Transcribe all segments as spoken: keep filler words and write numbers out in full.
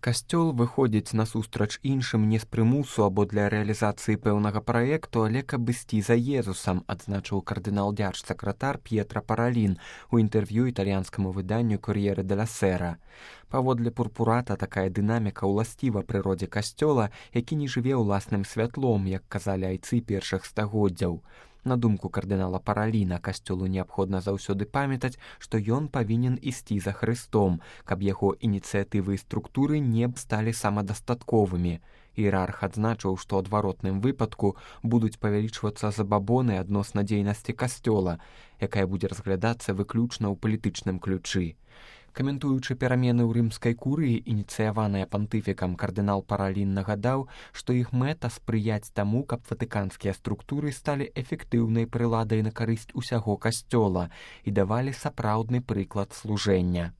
Касцёл выходзіць насустрач іншым не з прымусу або для рэалізацыі пэўнага праекту, але каб ісці за Езусам, адзначыў кардынал-дзярж-сакратар П'етра Паралін у інтэрв'ю італьянскаму выданню «Кор'ере деля Сера». Паводле Пурпурата, такая дынаміка ўласціва прыродзе касцёла, які не жыве ўласным святлом, як казалі айцы першых стагоддзяў. На думку кардынала Параліна, касцёлу неабходна заўсёды памятаць, што ён павінен ісці за Хрыстом, каб яго ініцыятывы і структуры не сталі самадастатковымі. Іерарх адзначыў, што ў адваротным выпадку будуць павялічвацца забабоны адносна дзейнасці касцёла, якая будзе разглядацца выключна ў палітычным ключы. Каментуючы перамены ў рымскай курыі, ініцыяваныя пантыфікам, кардынал Паралін нагадаў, што іх мэта спрыяць таму, каб ватыканскія структуры сталі эфектыўнай прыладай на карысць усяго касцёла і давалі сапраўдны прыклад служэння.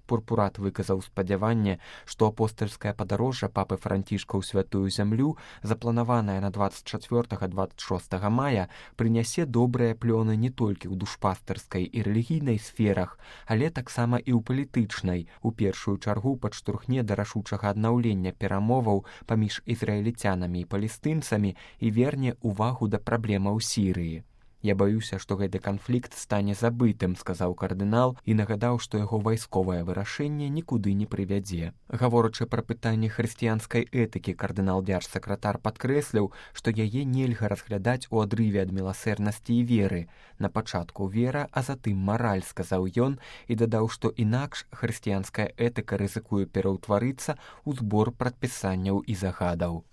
Пурпурат выказаў спадзяванне, што апостальскае падарожжа папы Францішка ў святую зямлю, запланаванае на дваццаць чацвёртага - дваццаць шостага мая, прынясе добрыя плёны не толькі ў душпастарскай і рэлігійнай сферах, але таксама і ў палітычнай, у першую чаргу падштурхне да рашучага аднаўлення перамоваў паміж ізраільцянамі і палестынцамі і верне ўвагу да праблемаў Сірыі. «Я баюся, што гэты канфлікт стане забытым», — сказаў кардынал і нагадаў, што яго вайсковае вырашэнне нікуды не прывядзе. Гаворачы пра пытанне хрысціянскай этыкі, кардынал-дзярж-сакратар падкрэсліў, што яе нельга разглядаць у адрыве ад міласэрнасці і веры. На пачатку вера, а затым мараль, сказаў ён і дадаў, што інакш хрысціянская этыка рызыкуе пераўтварыцца ў збор прадпісанняў і загадаў.